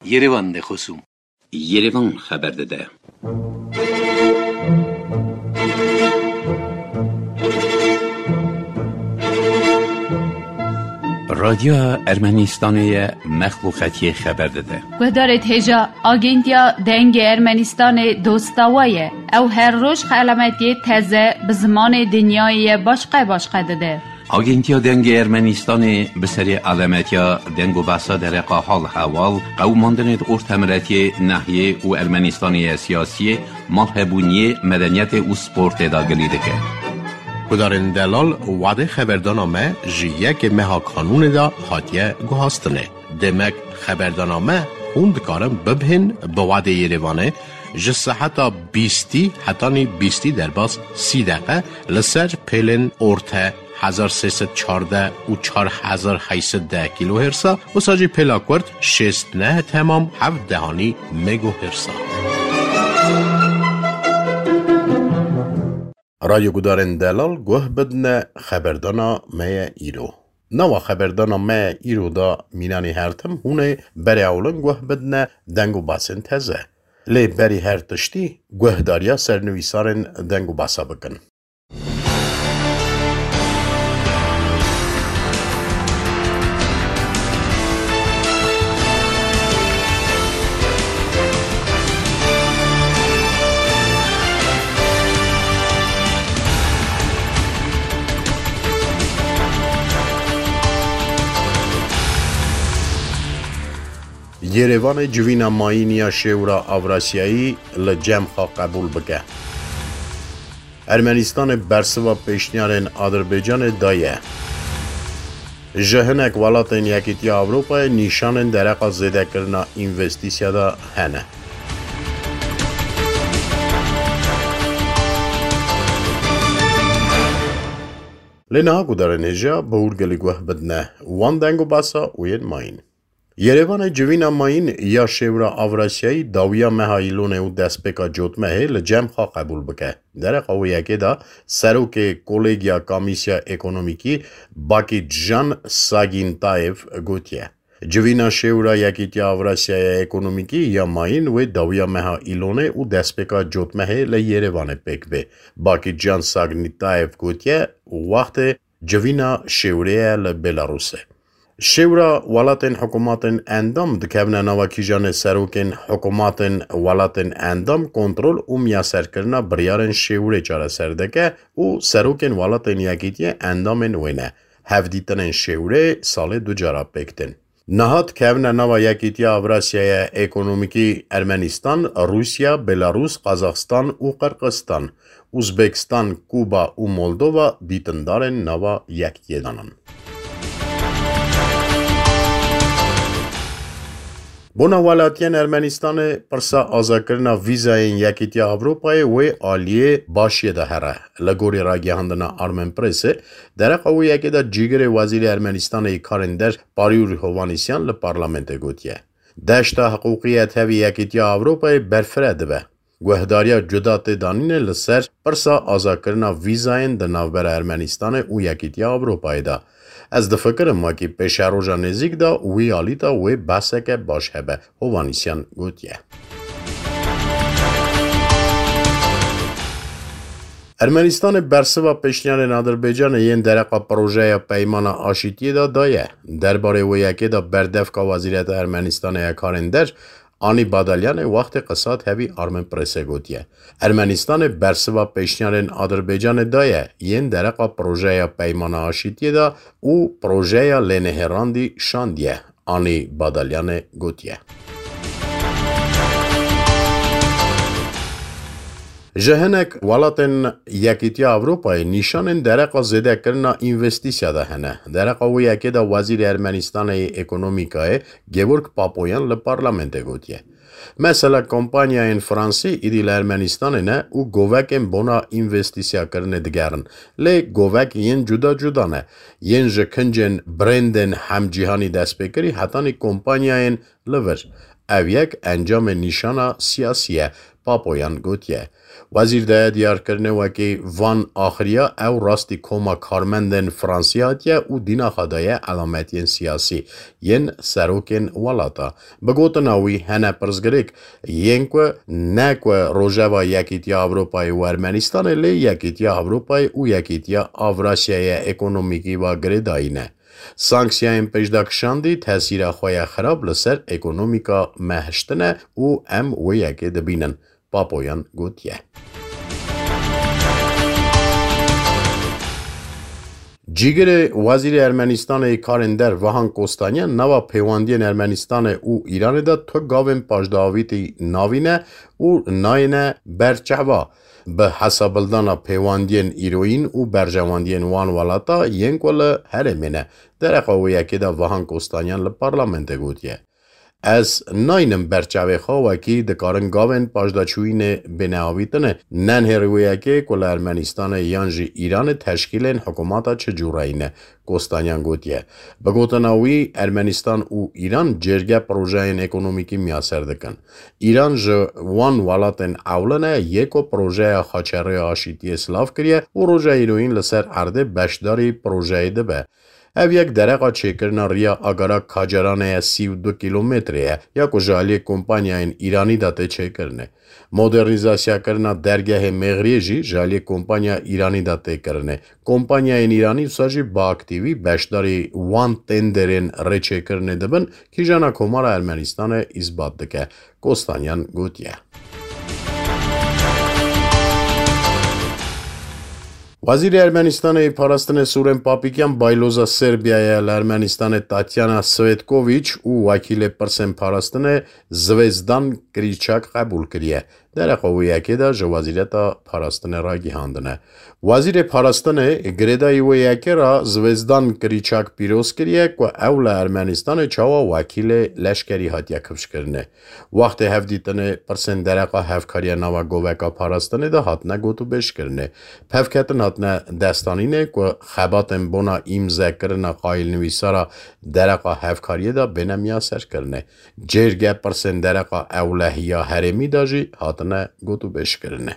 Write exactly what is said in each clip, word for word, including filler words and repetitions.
Yerevan de xosûm. Yerevan xeber dide. Radyoya Ermenistanê ye, mexluqetiyê xeber dide. Guhdarê hêja, Agentiya Dengê Ermenistanê dosta we ye. Ew her roj xelametiyê teze bi zimanê dinyayê ye başqe başqe dide. Agentiya Dengê Ermenistanê bi serê alemetiya deng û behsa dereqa hal hewal, qewimandinê di ortemiletiyê, nehiyê û Ermenistanê ye siyasiyê, malhebûniyê, medeniyetê û sportê de gilî dike. Gudarên delal, wadê xeberdana me ji yekê meha kanûnê de hatiye guhastinê. Demek xeberdana me hûn dikarin bibihên bi wadê Yerevanê ji seheta bîstî hetanî bîstî derbas sî deqe li ser pêlên orte hezar sê sed çardeh û çar hezar heyt sed deh kîlohêrsa, wisa jî pêla kurt şêst neh temam heft dehanî megohêrsa. Radyo gudarên delal guh bidine xeberdana me ye îro. Nava xeberdana me îro de mînanî her tim hûn ê berê ewlin guh bidine deng û basên teze. Lê berî her tiştî guhdariya sernivîsarên deng û basa bikin. Yerevanê civîna mayîn ya Şêwra Avrasyayî li cem xwe qebûl bike. Ermenistanê bersiva pêşniyarên Adirbaycanê daye. Ji hinek welatên Yekîtiya Ewropayê nîşanên dereqa zêdekirina învestîsya de hene. Lê niha gudarên hêja bi hûrgilî guh bidine wan deng û basa û yên mayîn. Yerevanê civîna mayîn ya Şêwra Avrasyayî dawiya meha Îlonê û destpêka Cotmehê li cem xwe qebûl bike. Dereqa wê yekê de serokê Kolegiya Kamîsya Ekonomîkî Bakîtjan Sagîntayev gotiye, civîna Şêwra Yekîtiya Avrasyaya Ekonomîkî ya mayîn wê dawiya meha Îlonê û destpêka Cotmehê li Yerevanê pêk bê. Bakîtjan Sagîntayev gotiye, wextê civîna Şêwrê ye li Belarusê. Şêwra welatên hikûmatên endam dikevne nava kîjanê serokên hikûmatên welatên endam kontrol û miyaserkirina biryarên Şêwrê çareser dike û serokên welatên Yekîtiyê endamên wê ne. Hevdîtinên Şêwrê salê du cara pêk tên. Niha dikevne nava Yekîtiya Avrasyaya Ekonomîkî Ermenistan, Rûsya, Belarûs, Qazaxistan û Qirqistan, Uzbekistan, Kuba û Moldova dîtindarên nava yekitiyê de nin. Bona welatiyên Ermenistanê pirsa azakirina vîzayên Yekîtiya Ewropayê wê aliyê başiyê de here. Li gorî ragihandina Armen Pressê, dereqa wê yekê de cîgirê Wezîrê Ermenistanê yê Karên Der Parîûrî Hovanîsyan li parlamentê gotiye, deşta hiqûqî ya tevî Yekîtiya Ewropayê berfireh dibe. Guhdariya cuda tê danîne li ser pirsa azakirina vîzayên di navbera Ermenistanê û Yekîtiya Ewropayê de. Ez difikirim wekî pêşeroja nêzîk de wî alî de wê behseke baş hebe, Hovanîsyan gotiye. Ermenistanê bersiva pêşniyarên Adirbaycanê yên dereqa projeya Peymana Aşîtiyê de daye. Derbarê wê yekê de berdevka Wezîreta Ermenistanê ya Karên Der, Anî Badalyanê wextê qisa tevî Armen Pressê gotiye, Ermenistanê bersiva pêşniyarên Adirbaycanê daye yên dereqa projeya Peymana Aşîtiyê de û projeya lênehêrandî şandiye. Anî Badalyanê gotiye. Ji hinek welatên Yekîtiya Ewropayê nîşanên dereqa zêdekirina învestîsya de hene. Dereqa wê yekê de Wezîrê Ermenistanê yê Ekonomîkayê Georg Papoyan li parlamentê gotiye, mesela kompanyayên Fransî îdî li Ermenistanê ne û govekên bona învestîsyakirinê digerin. Lê govek yên cuda cuda ne. Yên ji kincên brandên hemcîhanî destpêkirî hetanî kompanyayên li vir. Ev yek encamê nîşana siyasî ye, Papoyan gotiye. Wezîr daye diyarkirinê wekî van axiriya ew rastî koma karmendên Fransî hatiye û dînaxa daye elametiyên siyasî yên serokên welata. Bi gotina wî hene pirsgirêk yên ku ne ku rojeva Yekîtiya Ewropayê û Ermenîstanê lê Yekîtiya Ewropayê û Yekîtiya Avrasyaya Ekonomîkî ve girêdayî ne. Sanksiyayên pêşdakişandî tesîra xwe ya xirab li ser ekonomîka me hiştine û em wê yekê dibînin, Papoyan gotiye. Cîgirê Wezîrê Ermenîstanê Karên Der Vahan Kostanyan nava pêwendiyên Ermenîstanê û Îranê de tu gavên paşdavîtî navîne û nayêne ber çava. Bi hesabildana pêwendiyên îroyîn û berjewendiyên wan welata yên ku li herêmê ne, dereqa wê yekê de Vahan Kostanyan li parlamentê gotiye. Ez naynim ber çavê xwe wekî dikarin gavên paşdaçûyînê bêne avîtine. Nenhêrî wê yekê ku li Ermenîstanê yan jî Îranê teşkîlên hikûmeta çi cûreyî ne, Kostanyan gotiye. Bi gotina wî, Ermenistan û Îran cêrge projeyên ekonomîkî miyaser dikin. Îran ji wan welatên ewlin e yê ku projeya Xaçerê Aşîtiyê silav kiriye û roja îroyîn li ser erdê beşdarî projeyê dibe. Ev yek dereqa çêkirina riya Agara Kacaranê ye, sî û du kîlometrê ye, ya ku ji aliyê kompanyayên Îranî de tê çêkirinê. Modernîzasyakirina dergehê Mexriyê jî ji aliyê kompanya Îranî de tê kirinê. Kompanyayên Îranî wisa jî bi aktîvî beşdarî wan tenderên rêçêkirinê dibin, kîjana Komara Ermenistanê îsbat dike, Kostanyan gotiye. Wezîrê Ermenistanê yê Parastinê Sûrên Papîkyan bayloza Serbiyayê li Ermenistanê Tatyana Svetkoviç û wekîlê pirsên parastinê Zvezdan Kriçak qebûl kiriye. Dereqa wê yekê de ji Wezîreta Parastinê ragihandine. Wezîrê Parastinê girêdayî wê yekê re Zvezdan Kriçak pîroz kiriye ku ew li Ermenistanê çawa wekîlê leşkerî hatiye kifşkirinê. Wextê hevdîtinê pirsên dereqa hevkariya nava goveka parastinê de hatine gotûbêjkirinê. Pevketin hatine destanînê ku xebatên bona îmzekirina qayîlnivîsara dereqa hevkariyê de bêne miyaserkirinê. Cêrge pirsên dereqa ewlehiya herêmî de jî hatine gotûbêjkirinê.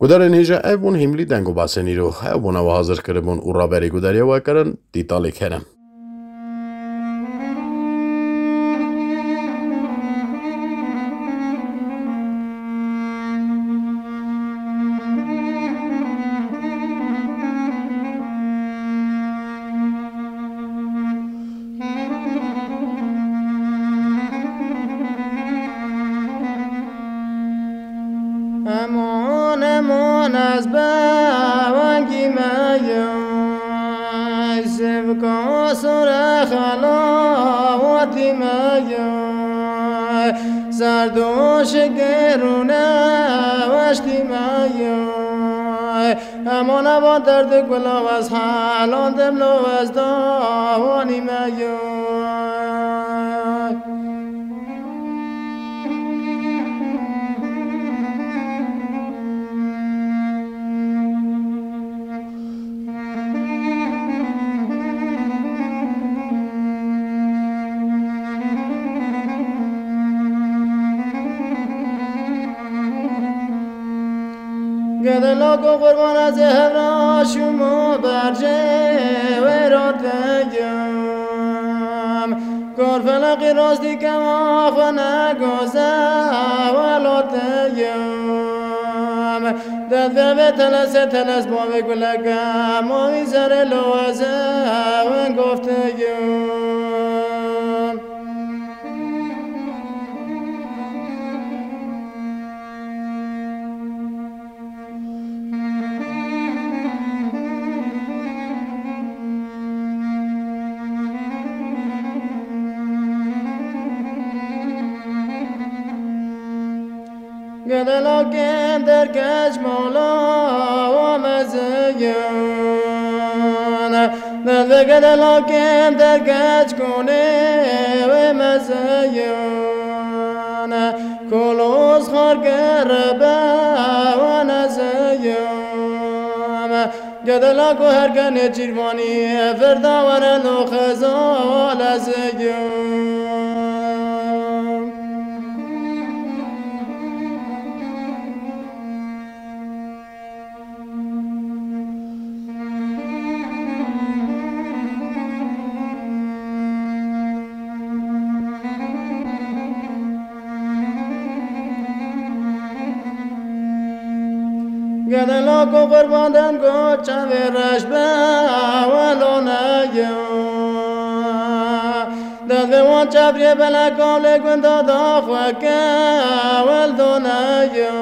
Gudarên hêja ev bûn hîmlî deng û basên îro. Ew bûne we hazir kiribûn û raberî gudariya we kirin, Dîtalê Kerem. Eman, eman, ez be wengî me ye, sivka sore xelawatî me ye, zerd û şikêr û neweştî me ye. Eman, eman, derdê gula ez helandim, lo ez dawanî me ye. Gedela ku qurban ez ê hevra şûmo bercê wê rateyim. Kor felaqî rastî kema xwe negoze welateyim. Derdve vê telese teles bavê guleke mavî zerê lo ez ê wê gofteyim. Gedelakên derkeç mala wa mezin. Neve gedelakên derkeç konê wê mezin. Koloz xar gerebe wa nezin. Gedela ku her kenê çîrvanî, verda were lo xezal ez yim. Ku qurban dem ku çavê reş be, welo neyim. Dest vê wan çavriyê belek alê gunda da xwe ke, wel do neyim.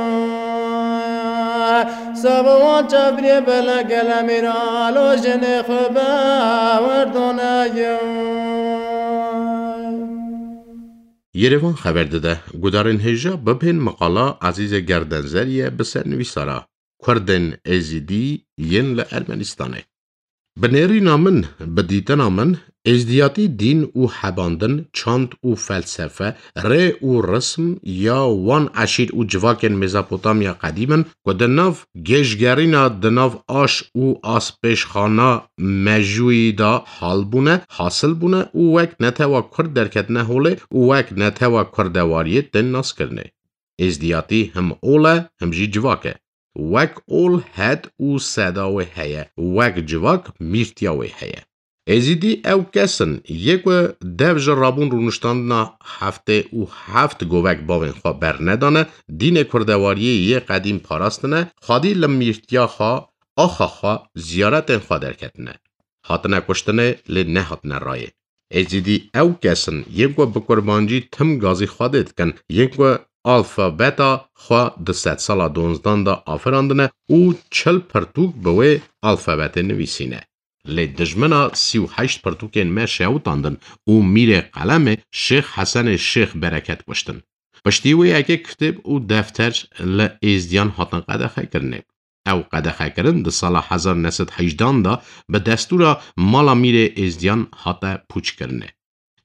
Sabo wan çavriyê belek gele mîra lo jinê xwe be, wel do neyim. Yerevan xeber dide, gudarên hêja bibên miqala Ezîzê Gerdenzerî ye bi ser nivîsara Kurdên Êzidî yên li Ermenistanê. Bi nêrîna min, bi dîtina min, êzdiyatî dîn û hebandin, çand û felsefe, rê û rism ya wan eşîr û civakên Mezopotamya qedîm in ku di nav gêjgerîna, di nav aş û aspêşxana mejûyî de hal bûne, hasil bûne û wek netewa Kurd derketine holê û wek netewa Kurdewariyê tên naskirinê. Êzdiyatî him ol e, him jî civak e. Wek ol hed û seda wê heye, wek civak mîrtiya wê heye. Êzîdî ew kes in, yê ku dev ji rabûn rûniştandina heftê û heft govek bavên xwe bernedane, dînê kurdewariyê yê qedîm parastine, xwedî li mîrtiya xwe, axa xwe, ziyaretên xwe derketine. Hatine kuştinê, lê nehatine rayê. Êzîdî ew kes in, yên ku bi kurmancî tim gazî Xwedê dikin, yên ku alfabeta xwe di sedsala donzdan de afirandine û çil pirtûk bi wê alfabetê nivîsîne. Lê dijmina sî û heşt pirtûkên me şewitandin û mîrê qelemê Şêx Hesenê Şêx Bereket kuştin. Piştî wê yekê kitêb û defter li Êzdiyan hatin qedexekirinê. Ew qedexekirin di sala hezar neh sed hejdan de bi destûra Mala Mîrê Êzdiyan hate pûçkirinê.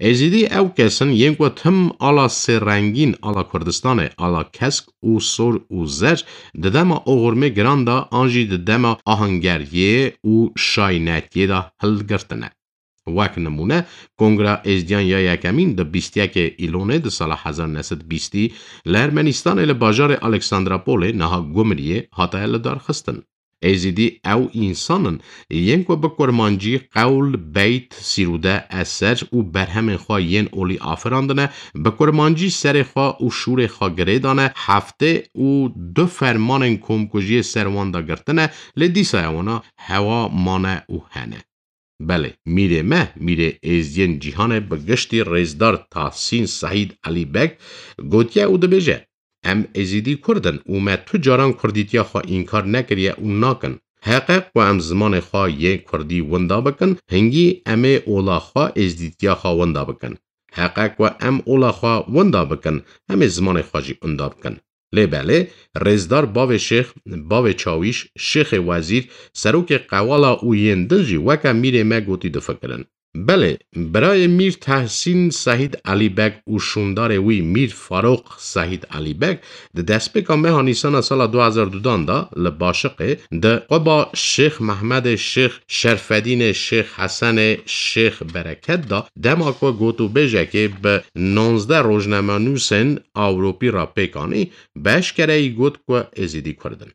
Êzîdî ew kes in yên ku tim ala sêrengîn, ala Kurdistanê, ala kesk û sor û zer di dema oxirmê giran de an jî di dema ahengeriyê û şaynetiyê de hilgirtine. Wek nimûne, Kongra Êzdiyan ya yekemîn di bîst yekê Îlonê di sala hezar neh sed bîstî li Ermenistanê li bajarê Alexandrapolê, niha Gumiriyê, hate lidarxistin. Êzîdî ew însan in, yên ku bi kurmancî qewl, beyt, sîrûde, eser û berhemên xwe yên olî afirandine, bi kurmancî serê xwe û şûrê xwe girê dane, heftê û du fermanên komkujiyê ser wan de girtine, lê dîsaya wana hewa mane û hene. Belê, mîrê me, mîrê êzdiyên cîhanê bi giştî rêzdar Tahsîn Sehîd Elî Beg gotiye û dibêje, Em êzîdî kurd in û me tu caran kurdîtiya xwe înkar nekiriye û nakin. Heqe ku em zimanê xwe yê kurdî winda bikin, hingî em ê ola xwe êzdîtiya xwe winda bikin. Heqe ku em ola xwe winda bikin, em ê zimanê xwe jî winda bikin. Lê belê, rêzdar bavê şêx, bavê çawîş, şêxê wezîr, serokê qewala û yên din jî weke mîrê me gotî difikirin. Belê, birayê Mîr Tehsîn Sehîd Elî Beg û şûndarê wî Mîr Farûq Sehîd Elî Beg di destpêka meha Nîsana sala du hezar dudan de li Başiqê di quba Şêx Mehmedê Şêx Şerfedînê Şêx Hesenê Şêx Bereket de dema ku gotûbêjekê bi nonzdeh rojnamenûsên Ewropî re pêk anî, bi eşkereyî got ku Êzîdî Kurd in.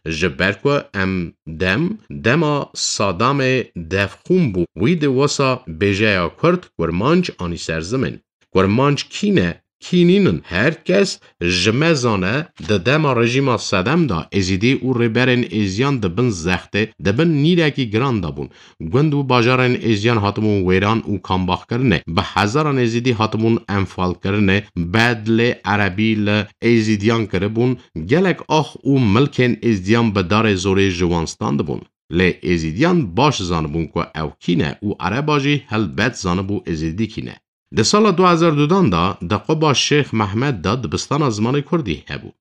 Ji ber ku em dem, dema Sadamê devxûn bû, wî di wisa bêjeya Kurd, Kurmanc anî ser zimên. Kurmanc kî ne, kî nînin, her kes ji me zane, di dema rejîma Sedem de Êzîdî û rêberên Êziyan di bin zextê, di bin nîrekî giran de bûn. Gund û bajarên Êziyan hatibûn wêran û kambaxkirinê. Bi hezaran Êzîdî hatibûn enfalkirinê. Bedlê erebî li Êzîdiyan kiribûn. Gelek ax û milkên Êzdiyan bi darê zorê ji wan standibûn. Lê Êzîdiyan baş zanibûn ku ew kî ne û ereba jî helbet zanibû Êzîdî kî ne. Di sala du hezar dudan de di quba Şêx Mehmed de dibistana zimanê kurdî hebû.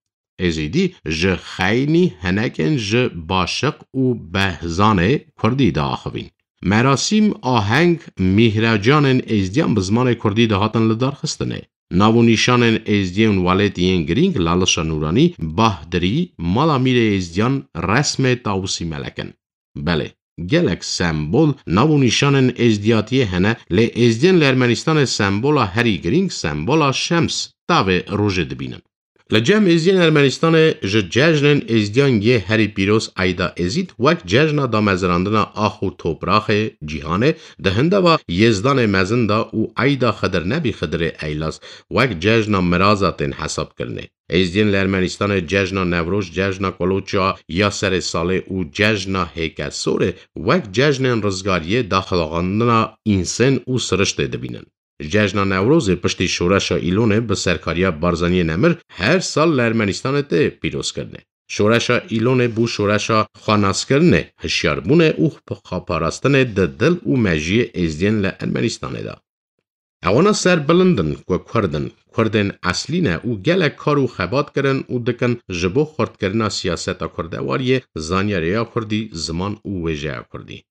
Êzîdî ji xeynî hinekên ji Başiq û Behzanê kurdî diaxivîn. Merasîm, aheng, mîhracanên êzdiyan bi zimanê kurdî dihatin lidarxistinê. Nav û nîşanên êzdiyên welêtî yên girîng, Lalişa Nûranî, Bahdirî, Mala Mîrê Êzdiyan, resmê Tawusî Melek in. Belê, gelek sembol, nav û nîşanên êzdiyatiyê hene, lê êzdiyên li Ermenistanê sembola herî girîng sembola şems, tavê rojê dibînin. Li cem Êziyên Ermenistanê ji cejnên Êzidiyan yê herî pîroz Eyda Êzîd wek cejna damezirandina ax û topraxê cîhanê di hindava Yêzdanê Mezin de û Eyda Xidir Nebî Xidirê Eylaz wek cejna miraza tên hesabkirinê. Êzdiyên li Ermenistanê cejna Newroz, cejna Koloça ya serê salê û cejna Hêkesorê wek cejnên rizgariyê, daxilxandina însên û siriştê dibînin. Cejna Newrozê piştî Şoreşa Îlonê bi serkariya Barzaniyê Nemir her sal li Ermenistanê tê pîrozkirinê. Şoreşa Îlonê bû şoreşa xwenaskirinê, hişyarbûnê û xweparastinê di dil û mejiyê Êzdiyên li Ermenistanê de. Ewana serbilind in ku Kurd in, Kurdên eslî ne û gelek kar û xebat kirin û dikin ji bo xurtkirina siyaseta kurdewariyê, zanyarê ya kurdî, ziman û wêjeya kurdî.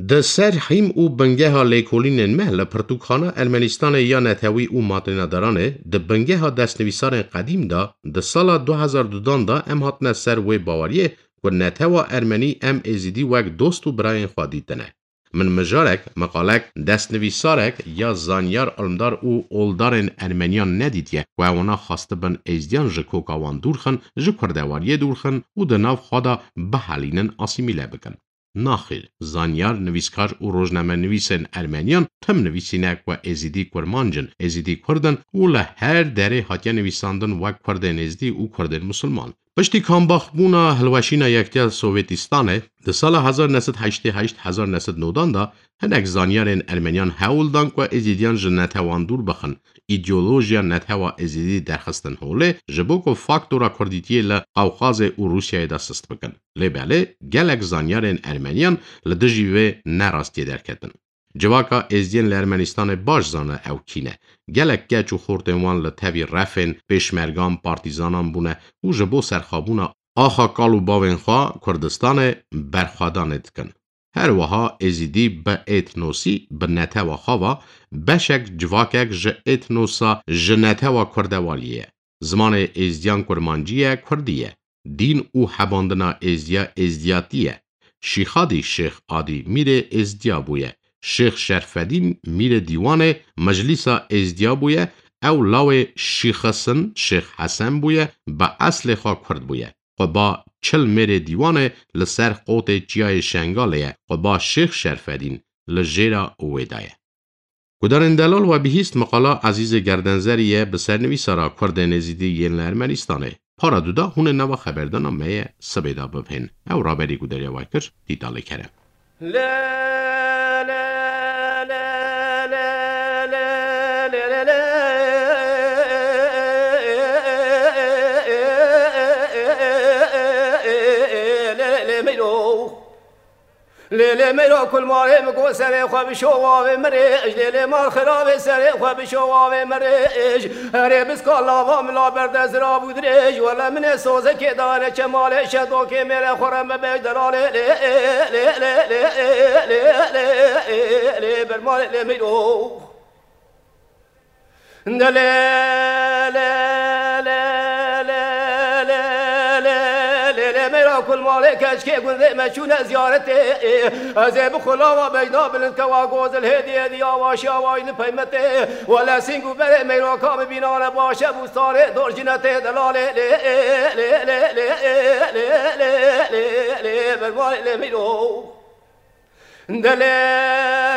Di ser hîm û bingeha lêkolînên me li pirtûkxana Ermenistanê ya netewî û matênedaranê, di bingeha destnivîsarên qedîm de, di sala du hezar dudan de em hatine ser wê baweriyê ku netewa ermenî em êzidî wek dost û birayên xwe dîtine. Min mijarek, meqalek, destnivîsarek ya zanyar, ilmdar û oldarên ermeniyan nedîtiye ku ewana xwestibin êzdiyan ji koka wan dûr xin, ji kurdewariyê dûr xin û di nav xwe de bihelînin, asîmîle bikin. Naxêr, zanyar, nivîskar û rojnamenivîsên ermeniyan tim nivîsîne ku êzidî kurmanc in, êzidî kurd in û li her derê hatiye nivîsandin wek kurdên êzdî û kurdên musulman. Piştî kambaxbûna hilweşîna Yektiya Sovêtîstanê, di sala hezar neh sed heştê heşt hezar neh sed nodan de hinek zanyarên ermeniyan hewl dan ku êzidiyan ji netewan dûr bixin, îdeolojiya netewa êzidî derxistin holê, ji bo ku faktora kurdîtiyê li Qewqazê û Rûsyayê de sist bikin. Lê belê, gelek zanyarên ermeniyan li dijî vê nerastiyê derketin. Civaka êzdiyên li Ermenistanê baş zane ew kî ne. Gelek keç û xortên wan li tevî refên pêşmergan, partîzanan bûne û ji bo serxabûna axa kal û bavên xwe Kurdistanê berxwedanê dikin. Her wiha êzidî bi etnosî, bi netewa xwe ve beşek, civakek ji etnosa, ji netewa kurdewariyê ye. Zimanê êzdiyan kurmancî ye, kurdî ye. Dîn û hebandina êzdiya êzdiyatî ye. Şîxadî Şêx Adî mîrê êzdiya bûye. Şêx Şerfedîn mîrê dîwanê meclîsa êzdiya bûye. Ew lawê Şîxis in, Şêx Hesen bûye, bi eslê xwe kurd bûye. Quba Çil mêrê dîwanê li ser qotê çiyayê Şengalê ye. Quba Şêx Şerfedîn li jêra wê de ye. Gudarên delal, we bihîst meqala Ezîzê Gerdenzerî ye, bi sernivîsara Kurdên Êzidî yên li Ermenistanê. Para du da hûn ê nava xeberdana me ye sibê de bibihên. Ew raberî gudariya we kir, Dîtalê Kerem. Lê lê meyro kul malê min got serê xwe bişo wavê mirêj. Lê lê mal xirabê serê xwe bişo wavê mirêj. Herê biska lava min la berde zirab û dirêj. Wele min ê sozekê dane çemalê şedokê mêrê xwe re me bêj delalê lê lê lê lê lê lê lê lê lê bermalê lê meyro. De lê, lê, lê, lê, lê, lê, lê, lê, meyra kul malê keçkê gundê me çûne ziyaretê. Ez ê bi xulava bejna bilind kewa gozil hêdî hêdî avaşî avayî li peymetê. Wele sîng û berê meyra ka bibînane başe bûstarê dor jinetê delalê. Lê, lê, lê, lê, lê, lê, lê, lê, lê, lê, bermalê lê meyro. De lê,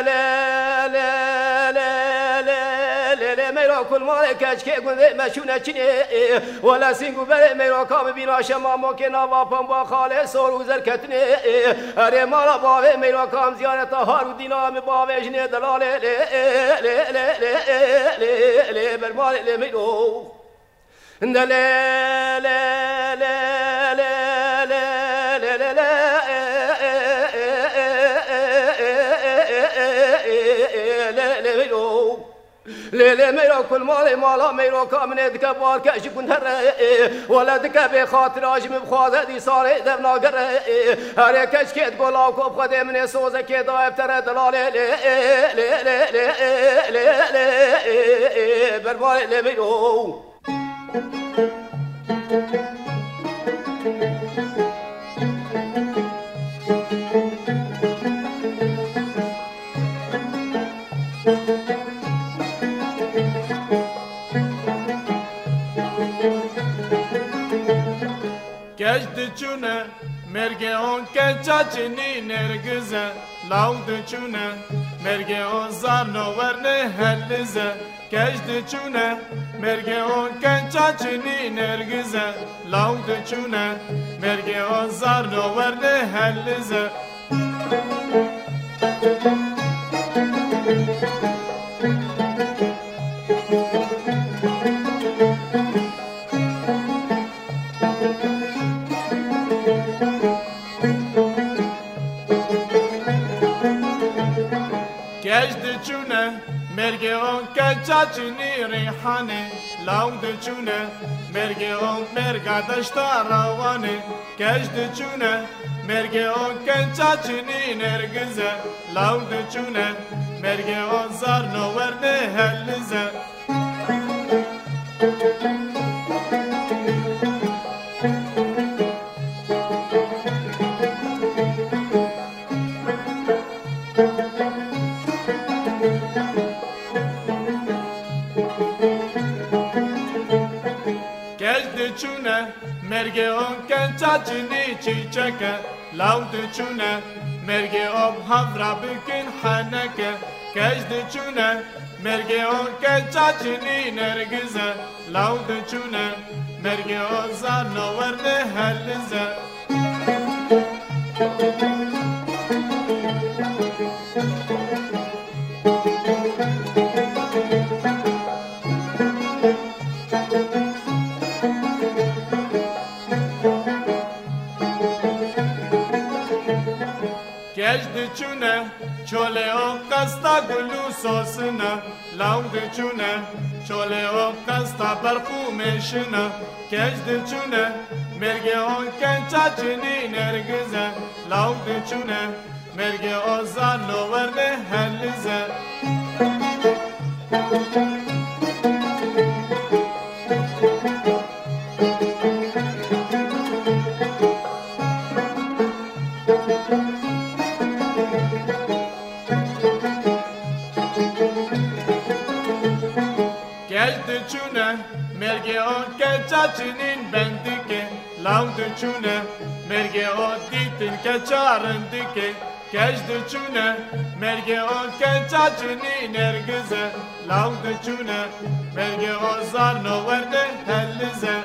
lê, lê, lê, lê, lê, lê, meyra kul malê keçkê gundê me çûne çinê. Wele sîng û berê meyra ka bibîna şema mokê nava pemba xalê sor û zerketinê. Erê mala bavê meyra kam ziyareta har û dîna mi bavê jinê delalê. Lê, lê, lê, lê, lê, lê, lê, bermalê lê meyro. De lê, lê, lê, lê, lê, lê, lê, lê, lê, lê, meyro. Lê, lê, meyro kul malê mala meyro ka min ê dike barke ji gund here. Wele dike bê xatira ji min bixwaze dîsa rê dev nagere. Herê keçkê digola ku bi Xwedê min ê sozekê daye bi te re delalê. Lê, lê, lê, lê, lê, lê, lê, bermalê lê meyro. Diçûne, mêrgê on keça çinî nêrgize, law diçûne, mêrgê on zarno werne helize, keç diçûne, mêrgê on keça çinî nêrgize, law diçûne, mêrgê on zarno werne helize. Keç diçûne, mêrgê on keça çinî rîhanê, law diçûne, mêrgê on mêrga deşta rawanê, keç diçûne, mêrgê on keça çinî nêrgize, law diçûne, mêrgê on zarno werne helize. Keç diçûne, mêrgê on keça çinî çîçeke, law diçûne, mêrgê on havra bikin heneke, keç diçûne, mêrgê on keça çinî nêrgize, law diçûne, mêrgê on zarno werne helize. Keç diçûne, çolê o qesta gul û sosine, law diçûne, çolê o qesta berq û mêşine, keç diçûne, mêrgê o keça çinî nêrgize, law diçûne, mêrgê o zarno werne helize. Keç diçûne, mêrgê o keça çinîn bendike, law diçûne, mêrgê o dîtin keça rindike, keç diçûne, mêrgê o keça çinî nêrgize, law diçûne, mêrgê o zarno werde helize.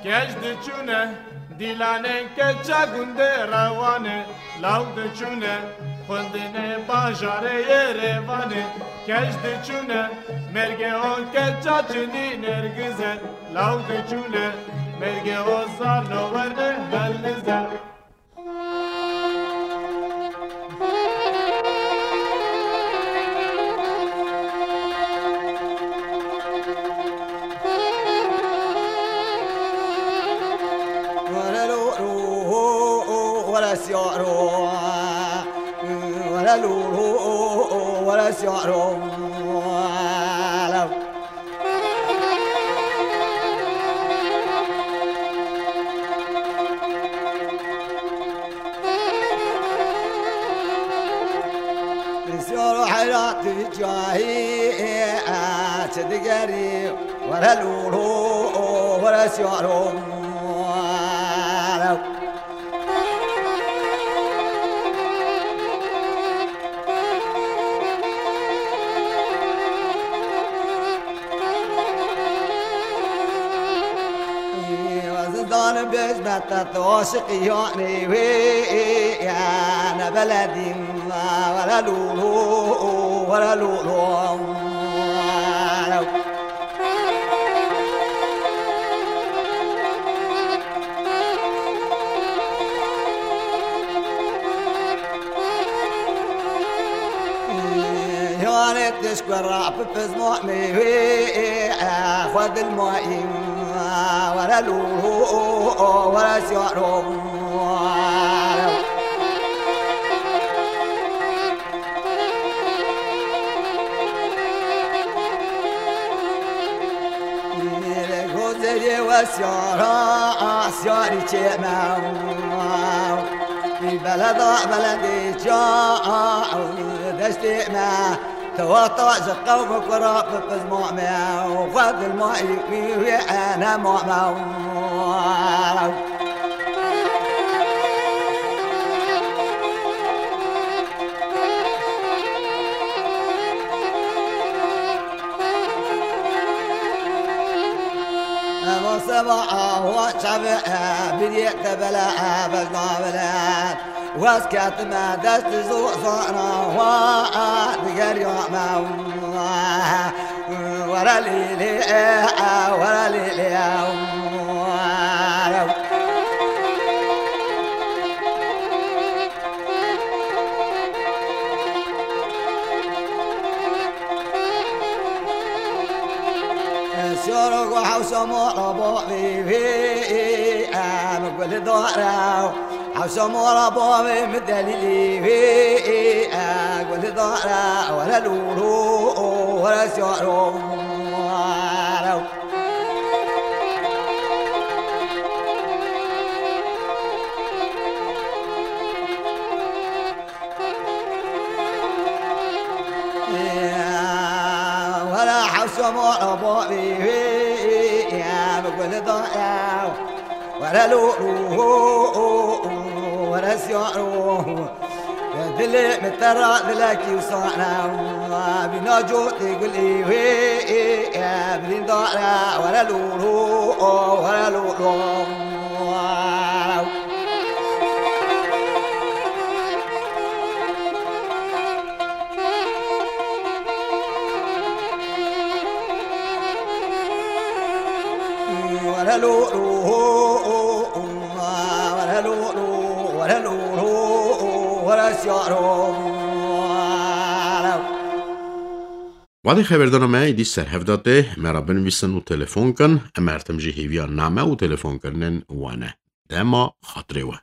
Keç diçûne, dîlanên keça gundê rewanê, law diçûne, xwendinê bajarê Yerêvanê, keç diçûne, mêrgê o keça çinî nêrgize, law diçûne, mêrgê o zarno werne helize. Siyaro heyrat cahî çi digerî, were lûlû, were siyaro. Zizanim bêjme te, tu aşiqî yanê wê ye, ne beledîn, were lûlû, were lûlû. Yanê tişk we ra bi pizmanê wê, xwe dilmayîm, were lûlû, were siyaro. Gozerê we Siyara, siyarî çê me. Beleda, beledê ça, deştê me. Te wexta ji qewm kura bi pizma me. Xwe dilma wî wê ene ma me. Eva seba awa çave, e, biriyê te bele, e, bejna bele. Wez ketime dest zozana wa, e, digeriya me. Were lê lê, e, e, were lê lê, e. Siyara ku hewşa mala bavê wê, em guldar e. Hewşa mala bavê min delîlê wê, em guldar e. Were lûlû, were siyaro. Were hewşa mala bavê wê, em guldar e. Were lûlû, were siyaro. Dilê min te ra dilekî wisa ne. Bîna cotê gulê wê, birîndar e. Were lûlû, were lûlû. Were lûlû, were lûlû, were lûlû, were siyaro. Wadê xeberdana me êdî ser hev de tê, me re binivîsin û telefon kin, em her tim jî hêviya name û telefonkirinên we ne. Dema xatirê we.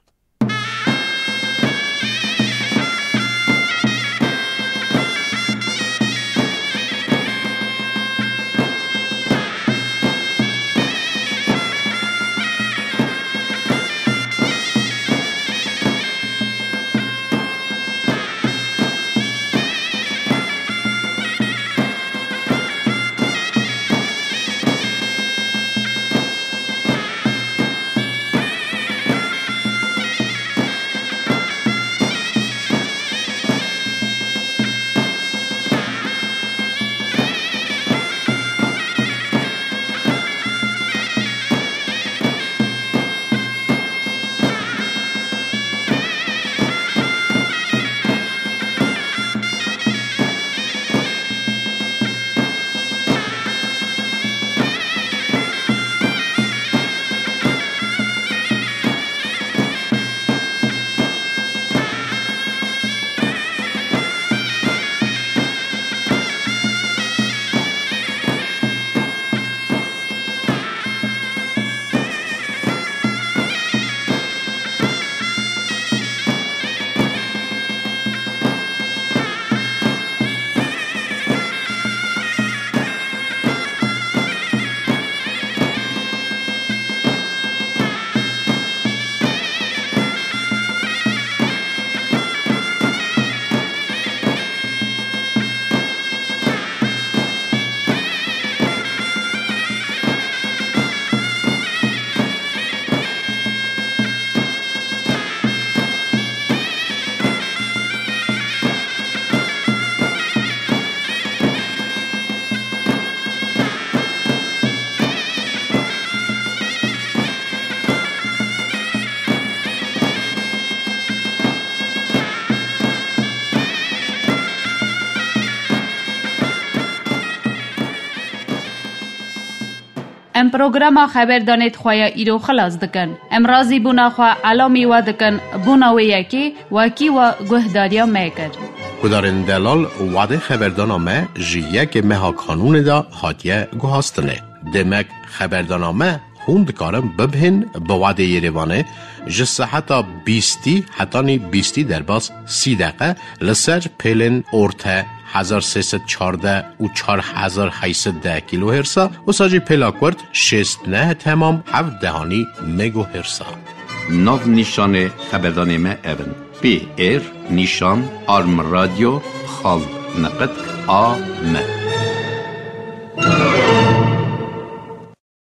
Em programa xeberdanê di xwe ya îro xilas dikin. Em razîbûna xwe elamî we dikin, bûna wê yekê wekî we guhdariya me kir. Guhdarên delal, wadê xeberdana me ji yekê meha Kanûnê de hatiye guhastinê. Demek xeberdana me Hûn dikarin bibihên bi wadê Yerêvanê ji seheta bîstî hetanî bîstî derbas sî deqe li ser pêlên orte hezar sê sed çardeh û çar hezar heyt sed deh kîlohêrsa, wisa jî pêla kurt şêst neh temam heft dehanî megohêrsa. Nav nîşanê xeberdanê me ev in: P R nîşan arm radyo xal neqet A M.